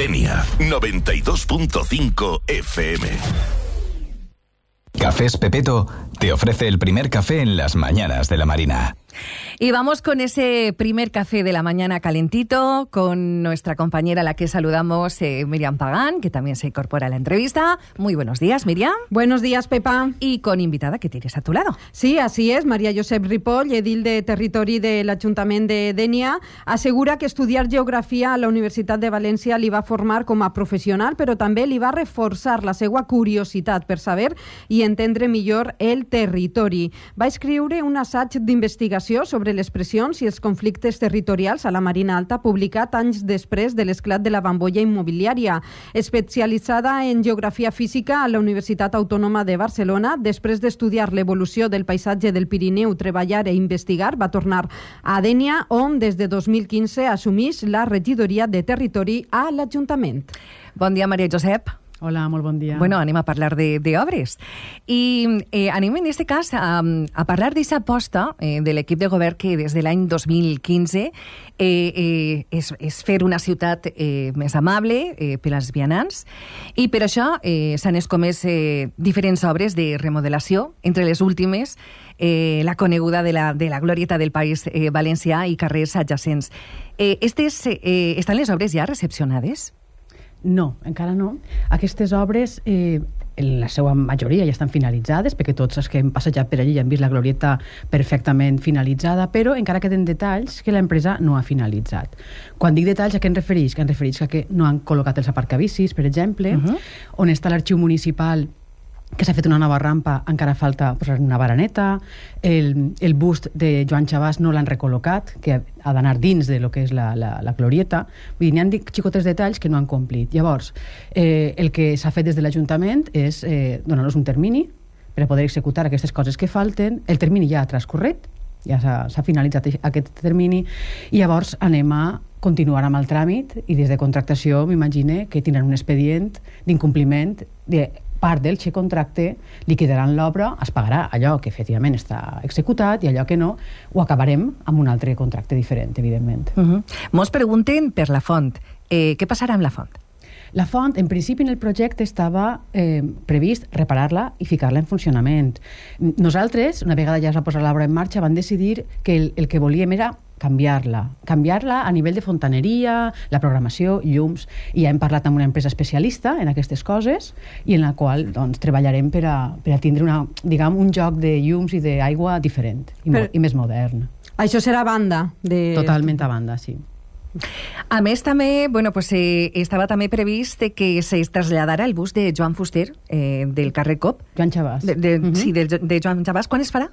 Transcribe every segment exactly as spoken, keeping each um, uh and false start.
Denia, noventa y dos punto cinco F M. Cafés Pepeto te ofrece el primer café en las mañanas de la Marina. Y vamos con ese primer café de la mañana calentito con nuestra compañera a la que saludamos, eh, Miriam Pagán, que también se incorpora a la entrevista. Muy buenos días, Miriam. Buenos días, Pepa. Y con invitada que tienes a tu lado. Sí, así es. María Josep Ripoll, edil de Territori de l'Ajuntament de Dénia, assegura que estudiar geografia a la Universitat de València li va formar com a professional, però també li va reforçar la seva curiositat per saber i entendre millor el territori. Va escriure un assaig d'investigació sobre les pressions i els conflictes territorials a la Marina Alta, publicat anys després de l'esclat de la bombolla immobiliària. Especialitzada en geografia física a la Universitat Autònoma de Barcelona, després d'estudiar l'evolució del paisatge del Pirineu, treballar i investigar, va tornar a Dénia, on des de dos mil quinze assumeix la regidoria de territori a l'Ajuntament. Bon dia, Maria Josep. Hola, molt bon dia. Bueno, anem a parlar de, de obres. I eh, anem en aquest cas a, a parlar d'aquesta aposta eh, de l'equip de govern que des de l'any dos mil quinze eh, eh, és, és fer una ciutat eh, més amable eh, per als vianants, i per això eh, s'han escomès eh, diferents obres de remodelació, entre les últimes eh, la coneguda de la, de la glorieta del País eh, Valencià i carrers adjacents. Eh, estes, eh, estan les obres ja recepcionades? No, encara no. Aquestes obres, eh, en la seva majoria ja estan finalitzades, perquè tots els que hem passejat per allí ja han vist la glorieta perfectament finalitzada, però encara queden detalls que l'empresa no ha finalitzat. Quan dic detalls, a què em refereix? Que em refereix a que no han col·locat els aparcabicis, per exemple, uh-huh. on està l'arxiu municipal, que s'ha fet una nova rampa, encara falta posar una baraneta, el, el bust de Joan Chabàs no l'han recol·locat, que ha d'anar dins de lo que és la, la, la glorieta. Vull dir, n'hi han xicotes detalls que no han complit. Llavors, eh, el que s'ha fet des de l'Ajuntament és eh, donar-nos un termini per a poder executar aquestes coses que falten. El termini ja ha transcorregut, ja s'ha finalitzat aquest termini, i llavors anem a continuar amb el tràmit, i des de contractació m'imagine que tindran un expedient d'incompliment de part del contracte, liquidaran l'obra, es pagarà allò que efectivament està executat i allò que no, ho acabarem amb un altre contracte diferent, evidentment. Uh-huh. Mos pregunten per la font. Eh, què passarà amb la font? La font, en principi, en el projecte estava eh, previst reparar-la i ficar-la en funcionament. Nosaltres, una vegada ja es va posar l'obra en marxa, vam decidir que el, el que volíem era canviar-la. Canviar-la a nivell de fontaneria, la programació, llums, i ja hem parlat amb una empresa especialista en aquestes coses i en la qual doncs, treballarem per a, per a tindre una, diguem, un joc de llums i d'aigua diferent i, Però, i més modern. Això serà a banda? De... Totalment a banda, sí. A més, també, bueno, pues, eh, estava també previst que se traslladara el bus de Joan Fuster, eh, del carrer Cop. Joan Chabàs. De, de, uh-huh. Sí, de, de Joan Chabàs. Quan es farà?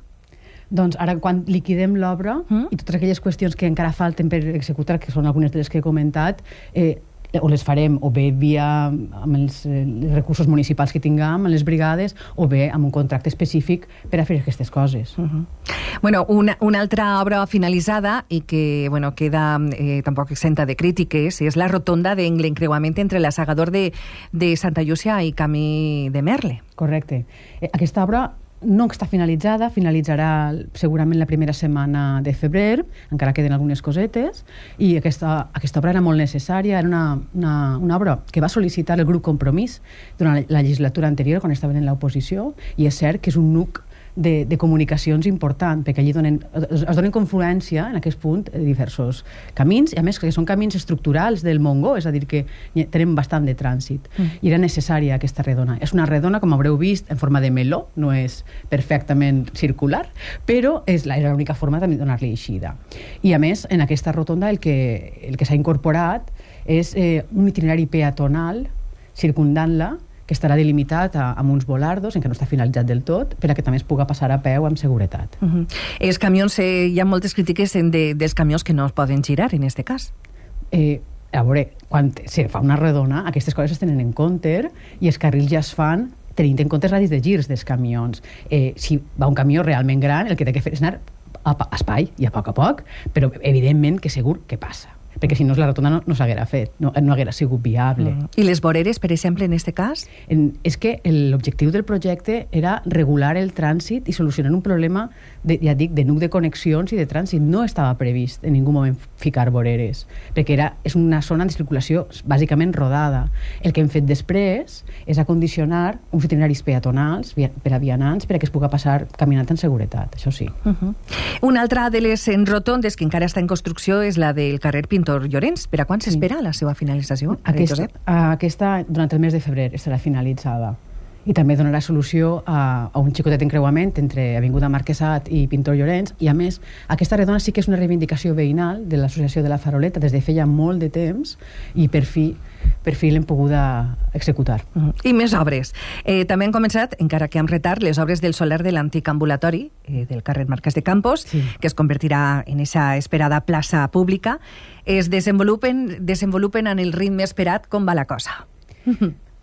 Doncs ara, quan liquidem l'obra mm. i totes aquelles qüestions que encara falten per executar, que són algunes de les que he comentat, eh, o les farem o bé via amb els, eh, els recursos municipals que tinguem, amb les brigades, o bé amb un contracte específic per a fer aquestes coses. Uh-huh. Bueno, una, una altra obra finalitzada i que bueno, queda eh, tampoc exenta de crítiques és la rotonda de l'encreuament entre l'assegador de, de Santa Llúcia i Camí de Merle. Correcte. Eh, aquesta obra no està finalitzada, finalitzarà segurament la primera setmana de febrer, encara queden algunes cosetes, i aquesta, aquesta obra era molt necessària, era una, una, una obra que va sol·licitar el grup Compromís durant la legislatura anterior, quan estaven en l'oposició, i és cert que és un nuc de, de comunicacions important, perquè allí donen, es, es donen confluència en aquest punt diversos camins, i a més que són camins estructurals del Montgó, és a dir, que tenen bastant de trànsit, mm. i era necessària aquesta redona. És una redona, com haureu vist, en forma de meló, no és perfectament circular, però és la, era l'única forma de donar-li eixida. I a més, en aquesta rotonda el que, el que s'ha incorporat és eh, un itinerari peatonal circundant-la, que estarà delimitat a, amb uns volardos, en què no està finalitzat del tot, per a que també es puga passar a peu amb seguretat. Uh-huh. Els camions, eh, hi ha moltes crítiques de, dels camions que no es poden girar, en aquest cas. Eh, a veure, quan se fa una redona, aquestes coses es tenen en compte i els carrils ja es fan tenint en compte els radis de girs dels camions. Eh, si va un camió realment gran, el que té que fer és anar a, a espai i a poc a poc, però evidentment que segur que passa, perquè si no la rotonda no, no s'haguera fet, no, no haguera sigut viable. Mm. I les voreres, per exemple, en aquest cas? En, és que l'objectiu del projecte era regular el trànsit i solucionar un problema, de, ja dic, de nuc de connexions i de trànsit. No estava previst en ningú moment ficar voreres, perquè era, és una zona de circulació bàsicament rodada. El que hem fet després és acondicionar uns itineraris peatonals per a vianants per a que es pugui passar caminant en seguretat, això sí. Uh-huh. Una altra de les rotondes que encara està en construcció és la del carrer Pintor Llorens. Per a quan s'espera sí. la seva finalització? Aquesta, aquesta, durant el mes de febrer, estarà finalitzada. I també donarà solució a, a un xicotet encreuament entre Avinguda Marquesat i Pintor Llorens, i a més, aquesta redona sí que és una reivindicació veïnal de l'Associació de la Faroleta des de feia molt de temps, i per fi per fi l'hem pogut executar. Uh-huh. I més obres. Eh, també han començat, encara que amb retard, les obres del solar de l'antic ambulatori eh, del carrer Marquès de Campos, sí. que es convertirà en esa esperada plaça pública. Es desenvolupen, desenvolupen en el ritme esperat. Com va la cosa?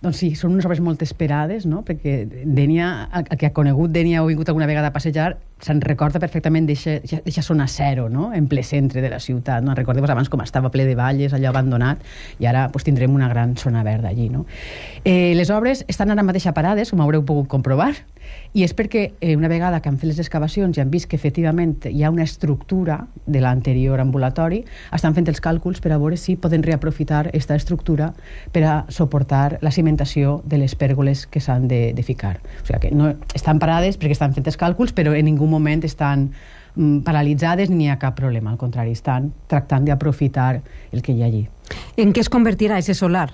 Doncs sí, són unes obres molt esperades, no? Perquè Dénia, el que ha conegut Dénia o ha vingut alguna vegada a passejar, se'n recorda perfectament d'eixa zona zero, no? En ple centre de la ciutat. No? Recordeu-vos abans com estava ple de valles, allò abandonat, i ara pues, tindrem una gran zona verda allí. No? Eh, les obres estan ara mateix parades, com haureu pogut comprovar, i és perquè eh, una vegada que han fet les excavacions i han vist que efectivament hi ha una estructura de l'anterior ambulatori, estan fent els càlculs per a veure si poden reaprofitar aquesta estructura per a suportar la cimentació de les pèrgoles que s'han de, de ficar. O sigui que no estan parades perquè estan fent els càlculs, però en ningú moment estan mm, paralitzades ni hi ha cap problema. Al contrari, estan tractant d'aprofitar el que hi ha allí. En què es convertirà ese solar?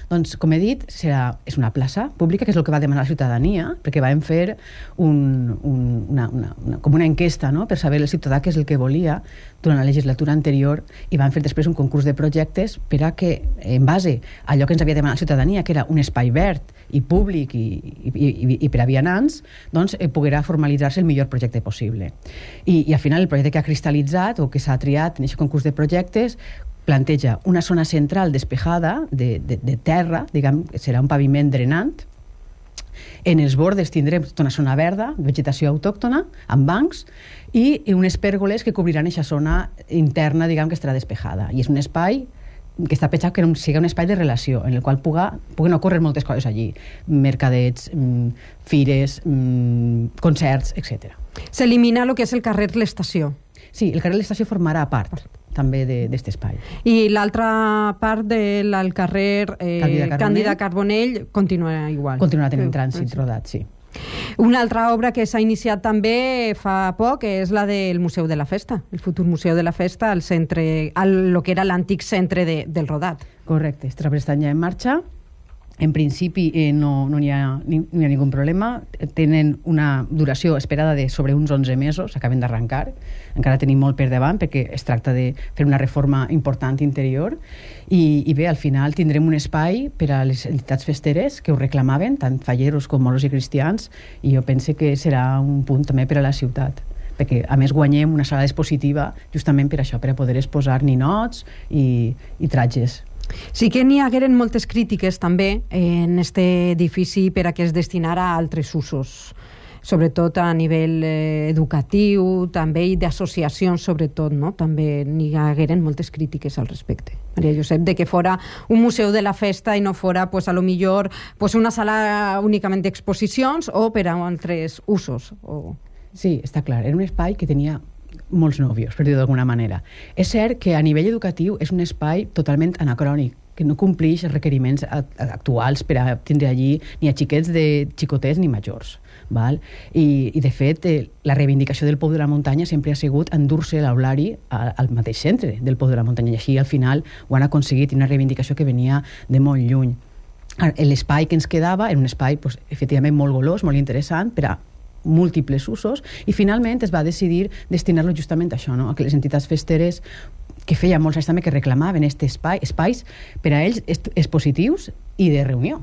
Doncs, com he dit, serà, és una plaça pública, que és el que va demanar la ciutadania, perquè vam fer un, un, una, una, una, com una enquesta, no?, per saber el ciutadà què és el que volia durant la legislatura anterior, i vam fer després un concurs de projectes per a que, en base a allò que ens havia demanat la ciutadania, que era un espai verd i públic i, i, i, i per a vianants, doncs eh, poguerà formalitzar-se el millor projecte possible. I, i al final el projecte que ha cristal·litzat o que s'ha triat en aquest concurs de projectes planteja una zona central despejada de, de, de terra, diguem, serà un paviment drenant. En els bordes tindrem tota una zona verda, vegetació autòctona, amb bancs, i unes pèrgoles que cobriran aquesta zona interna, diguem, que estarà despejada. I és un espai que està pensat que sigui un espai de relació, en el qual puga, puguen ocórrer moltes coses allí. Mercadets, mm, fires, mm, concerts, etcètera. S'elimina el que és el carrer L'Estació. Sí, el carrer L'Estació formarà part també d'aquest espai. I l'altra part del carrer eh, Càndida Carbonell, Càndida Carbonell continuarà igual. Continuarà tenint trànsit rodat, sí. Una altra obra que s'ha iniciat també fa poc és la del Museu de la Festa, el futur Museu de la Festa, al centre, al lo que era l'antic centre de, del Rodat. Correcte, els treballs estan ja en marxa. En principi eh, no, no hi ha, ni, no hi ha ningun problema. Tenen una duració esperada de sobre uns onze mesos, acaben d'arrencar. Encara tenim molt per davant perquè es tracta de fer una reforma important interior. I, i bé, al final tindrem un espai per a les entitats festeres que ho reclamaven, tant falleros com moros i cristians, i jo pense que serà un punt també per a la ciutat, perquè a més guanyem una sala expositiva justament per això, per a poder exposar ninots i, i tratges. Sí que n'hi hagueren moltes crítiques també en este edifici per a que es destinara a altres usos, sobretot a nivell eh, educatiu, també i d'associacions sobretot, no? També n'hi hagueren moltes crítiques al respecte. Maria Josep, de que fora un museu de la festa i no fora, pues, a lo millor pues, una sala únicament d'exposicions o per a altres usos. O... Sí, està clar. Era un espai que tenia molts nòvios, per dir-ho d'alguna manera. És cert que a nivell educatiu és un espai totalment anacrònic, que no compleix els requeriments actuals per a tindre allí ni a xiquets de xicotets ni majors. Val? I, i de fet, eh, la reivindicació del Pou de la Muntanya sempre ha sigut endur-se l'aulari al mateix centre del Pou de la Muntanya, i així al final ho han aconseguit, una reivindicació que venia de molt lluny. L'espai que ens quedava era un espai pues, efectivament molt golós, molt interessant per a múltiples usos, i finalment es va decidir destinar-lo justament a això, no? A que les entitats festeres, que feia molts anys també que reclamaven aquest espai, espais per a ells expositius i de reunió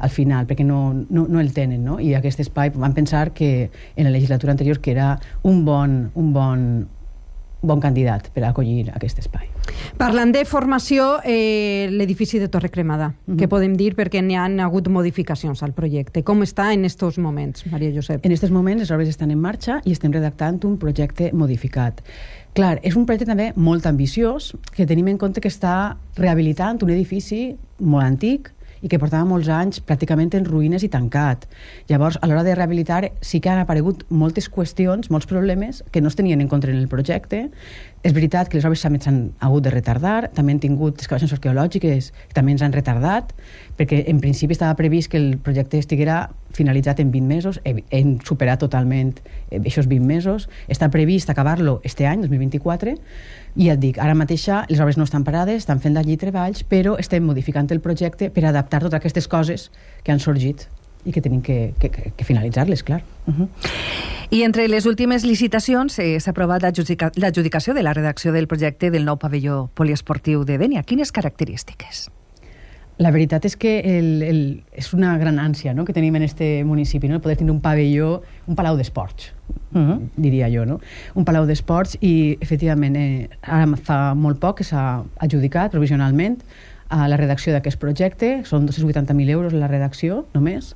al final, perquè no, no, no el tenen, no? I aquest espai van pensar que en la legislatura anterior que era un bon, un bon bon candidat per a acollir aquest espai. Parlant de formació, eh, l'edifici de Torre Cremada, uh-huh. Què podem dir perquè n'hi ha hagut modificacions al projecte? Com està en aquests moments, Maria Josep? En aquests moments les obres estan en marxa i estem redactant un projecte modificat. Clar, és un projecte també molt ambiciós, que tenim en compte que està rehabilitant un edifici molt antic i que portava molts anys pràcticament en ruïnes i tancat. Llavors, a l'hora de rehabilitar sí que han aparegut moltes qüestions, molts problemes que no es tenien en compte en el projecte, És veritat que les obres també s'han hagut de retardar, també han tingut excavacions arqueològiques que també ens han retardat, perquè en principi estava previst que el projecte estiguera finalitzat en vint mesos, hem superat totalment aquests vint mesos, està previst acabar-lo este any, dos mil vint-i-quatre, i ja et dic, ara mateixa les obres no estan parades, estan fent d'allí treballs, però estem modificant el projecte per adaptar totes aquestes coses que han sorgit i que tenim que, que, que finalitzar-les, clar. Uh-huh. I entre les últimes licitacions eh, s'ha aprovat l'adjudicació de la redacció del projecte del nou pavelló poliesportiu de Dénia. Quines característiques? La veritat és que el, el, és una gran ànsia, no?, que tenim en este municipi, no?, poder tenir un pavelló, un palau d'esports, uh-huh. diria jo, no? Un palau d'esports i, efectivament, eh, ara fa molt poc que s'ha adjudicat provisionalment a la redacció d'aquest projecte, són dos-cents vuitanta mil euros la redacció, només.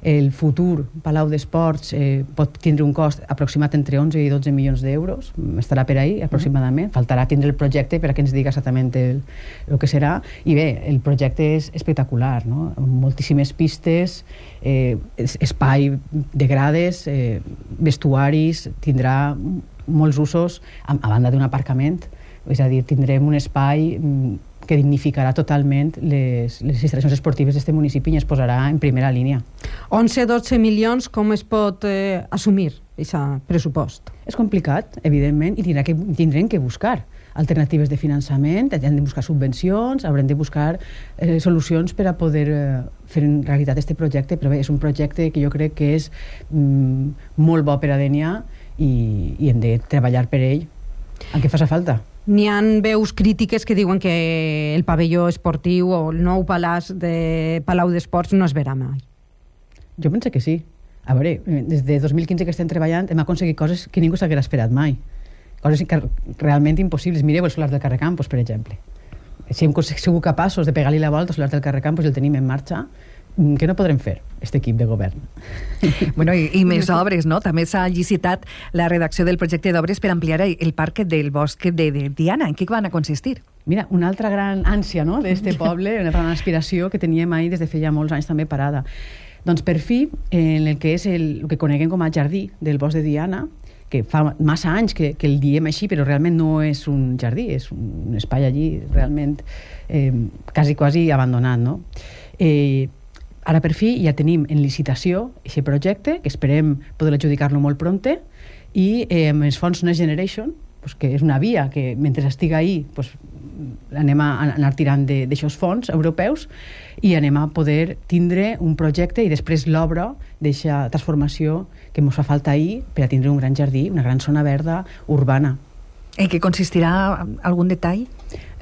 El futur Palau d'Esports eh, pot tindre un cost aproximat entre onze i dotze milions d'euros, estarà per ahí aproximadament, mm. faltarà tindre el projecte per a que ens diga exactament el, el que serà, i bé, el projecte és espectacular, no? Moltíssimes pistes, eh, espai de grades, eh, vestuaris, tindrà molts usos, a, a banda d'un aparcament, és a dir, tindrem un espai que dignificarà totalment les, les instal·lacions esportives d'aquest municipi i es posarà en primera línia. onze dotze milions, com es pot eh, assumir aquest pressupost? És complicat, evidentment, i tindrà que, tindrem que buscar alternatives de finançament, hem de buscar subvencions, haurem de buscar eh, solucions per a poder eh, fer en realitat aquest projecte, però bé, és un projecte que jo crec que és mm, molt bo per a Dénia i, i hem de treballar per ell, el que faci falta. N'hi ha veus crítiques que diuen que el pavelló esportiu o el nou palàs de Palau d'Esports no es verà mai. Jo penso que sí. A veure, des de dos mil quinze que estem treballant hem aconseguit coses que ningú s'haguera esperat mai. Coses que realment impossibles. Mireu el solar del carrer Campos, per exemple. Si hem sigut capaços de pegar-li la volta al solar del carrer Campos i el tenim en marxa, què no podrem fer, aquest equip de govern? Bueno, i, i més obres, no? També s'ha licitat la redacció del projecte d'obres per ampliar el parc del bosc de, de Diana. En què van a consistir? Mira, una altra gran ànsia, no?, d'este poble, una gran aspiració que teníem ahir des de feia molts anys també parada. Doncs per fi, en el que és el, el que coneguem com a jardí del bosc de Diana, que fa massa anys que, que el diem així, però realment no és un jardí, és un espai allí realment eh, quasi, quasi abandonat, no? Eh, Ara, per fi, ja tenim en licitació aquest projecte, que esperem poder adjudicar-lo molt pronte, i eh, amb els fons Next Generation, pues, que és una via que, mentre estiga ahí, pues, anem a anar tirant d'aixòs fons europeus i anem a poder tindre un projecte i després l'obra d'aquesta transformació que ens fa falta ahir per a tindre un gran jardí, una gran zona verda urbana. En què consistirà algun detall?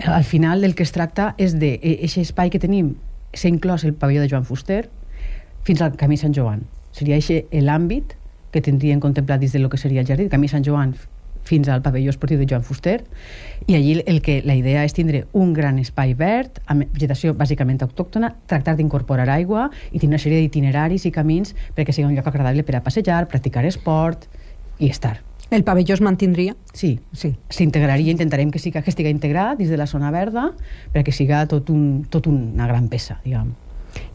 Al final del que es tracta és d'aquest espai que tenim s'ha inclòs el pavelló de Joan Fuster fins al Camí Sant Joan. Seria aquest l'àmbit que tindrien contemplat dins del que seria el jardí, el Camí Sant Joan fins al pavelló esportiu de Joan Fuster, i allí el que la idea és tindre un gran espai verd, amb vegetació bàsicament autòctona, tractar d'incorporar aigua i tenir una sèrie d'itineraris i camins perquè sigui un lloc agradable per a passejar, practicar esport i estar. El pavelló es mantindria? Sí, sí. S'integraria, intentarem que, siga, que estigui integrat dins de la zona verda perquè siga tot, un, tot una gran peça, diguem.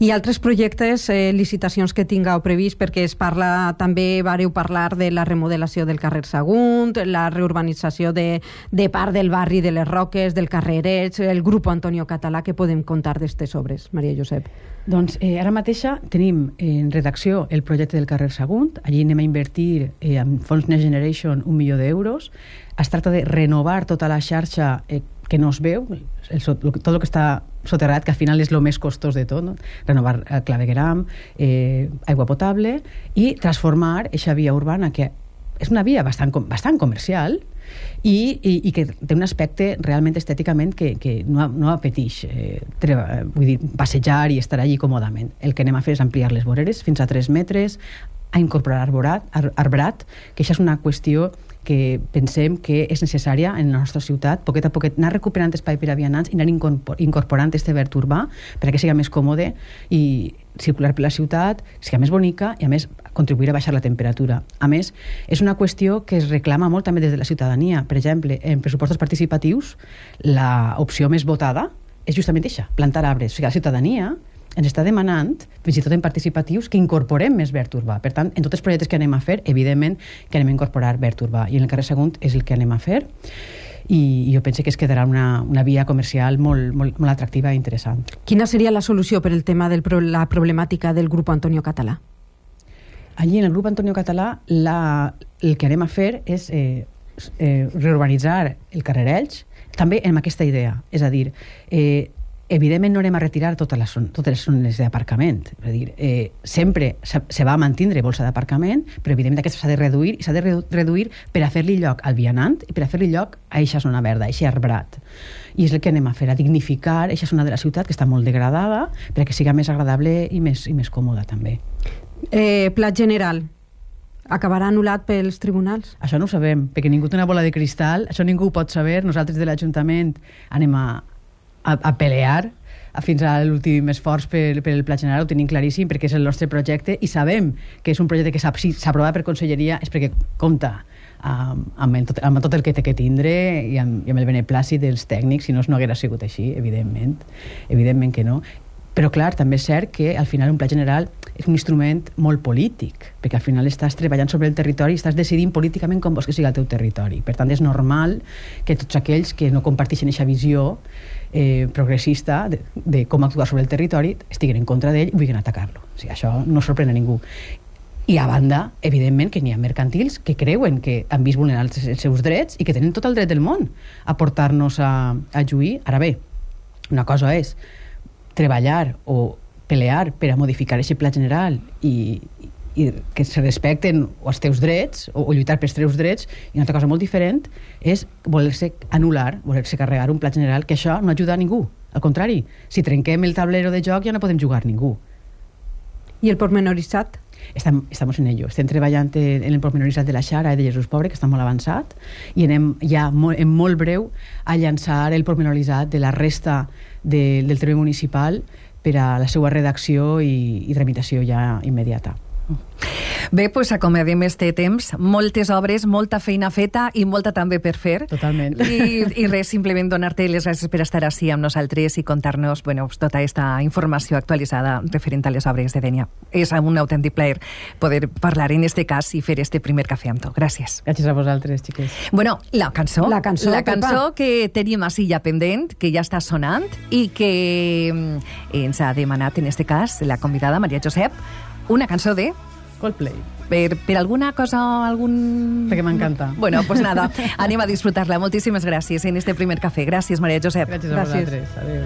I altres projectes, eh, licitacions que tingueu previst, perquè es parla, també vareu parlar de la remodelació del carrer Sagunt, la reurbanització de, de part del barri de les Roques, del carrer Eretz, el grup Antonio Català, que podem contar d'estes obres, Maria Josep? Doncs eh, ara mateixa tenim en redacció el projecte del carrer Sagunt, allí anem a invertir eh, amb fons Next Generation un milió d'euros. Es tracta de renovar tota la xarxa eh, que no es veu, el, tot el que està soterrat, que al final és el més costós de tot, no? Renovar el clavegueram, eh, aigua potable i transformar aquesta via urbana, que és una via bastant, bastant comercial i, i, i que té un aspecte realment estèticament que, que no, no apeteix eh, treba, vull dir, passejar i estar allí còmodament. El que anem a fer és ampliar les voreres fins a tres metres, a incorporar arborat, ar, arbrat, que això és una qüestió que pensem que és necessària en la nostra ciutat, poquet a poquet anar recuperant espai per a vianants i anar incorporant este verd urbà perquè siga més còmode i circular per la ciutat, siga més bonica i a més contribuir a baixar la temperatura. A més, és una qüestió que es reclama molt també des de la ciutadania. Per exemple, en pressupostos participatius l'opció més votada és justament això, plantar arbres. O sigui, la ciutadania ens està demanant, fins i tot en participatius, que incorporem més verd urbà. Per tant, en tots els projectes que anem a fer, evidentment que anem a incorporar verd urbà. I en el carrer Sagunt és el que anem a fer. i, i jo penso que es quedarà una, una via comercial molt, molt, molt atractiva i interessant. Quina seria la solució per el tema de la problemàtica del grup Antonio Català? Allí, en el grup Antonio Català, la, el que anem a fer és eh, eh, reurbanitzar el carrer Elx, també amb aquesta idea. És a dir, eh, evidentment no anem a retirar totes les, totes les zones d'aparcament. És a dir, eh, sempre se, se va mantindre bolsa d'aparcament, però evidentment aquesta s'ha de reduir, i s'ha de reduir per a fer-li lloc al vianant i per a fer-li lloc a eixa zona verda, a eixe arbrat. I és el que anem a fer, a dignificar eixa zona de la ciutat que està molt degradada perquè siga més agradable i més, i més còmoda també. Eh, plat general, acabarà anul·lat pels tribunals? Això no ho sabem, perquè ningú té una bola de cristal, això ningú ho pot saber. Nosaltres de l'Ajuntament anem a A, a pelear a fins a l'últim esforç per, per el Pla General, ho tenim claríssim perquè és el nostre projecte i sabem que és un projecte que si s'aprova per conselleria és perquè compta amb, amb, el, amb tot el que té que tindre i amb, i amb el beneplàcit dels tècnics, si no, no haguera sigut així, evidentment evidentment que no. Però clar, també és cert que al final un Pla General és un instrument molt polític, perquè al final estàs treballant sobre el territori i estàs decidint políticament com vols que sigui el teu territori. Per tant, és normal que tots aquells que no comparteixen aquesta visió eh, progressista de, de com actuar sobre el territori estiguen en contra d'ell i vulguin atacar-lo. O sigui, això no sorprèn a ningú. I a banda, evidentment, que n'hi ha mercantils que creuen que han vist vulnerar els, els seus drets i que tenen tot el dret del món a portar-nos a, a lluir. Ara bé, una cosa és treballar o pelear per a modificar aquest pla general i, i que se respecten els teus drets o, o lluitar pels teus drets, i una altra cosa molt diferent és voler-se anul·lar, voler-se carregar un pla general, que això no ajuda a ningú. Al contrari, si trenquem el tablero de joc ja no podem jugar ningú. I el pormenoritzat? Estem, estamos en ello. Estem treballant en el pormenoritzat de la Xara i de Jesús Pobre, que està molt avançat, i anem ja molt, en molt breu a llançar el pormenoritzat de la resta de, del terme municipal per a la seva redacció i, i tramitació ja immediata. Bé, doncs acomodem este temps, moltes obres, molta feina feta i molta també per fer. Totalment. I, i res, simplement donar-te les gràcies per estar així amb nosaltres i contar-nos, bueno, tota aquesta informació actualitzada referent a les obres de Dénia. És un autèntic plaer poder parlar en este cas i fer este primer cafè amb tu. Gràcies. Gràcies a vosaltres, xiques. Bueno, la cançó, la cançó, la cançó que tenim així ja pendent, que ja està sonant i que ens ha demanat, en este cas, la convidada Maria Josep, una cançó de... Coldplay. Per, per alguna cosa, algun... Perquè m'encanta. Bueno, pues nada, anem a disfrutar-la. Moltíssimes gràcies en este primer cafè. Gràcies, Maria Josep. Gràcies a vosaltres. Adéu.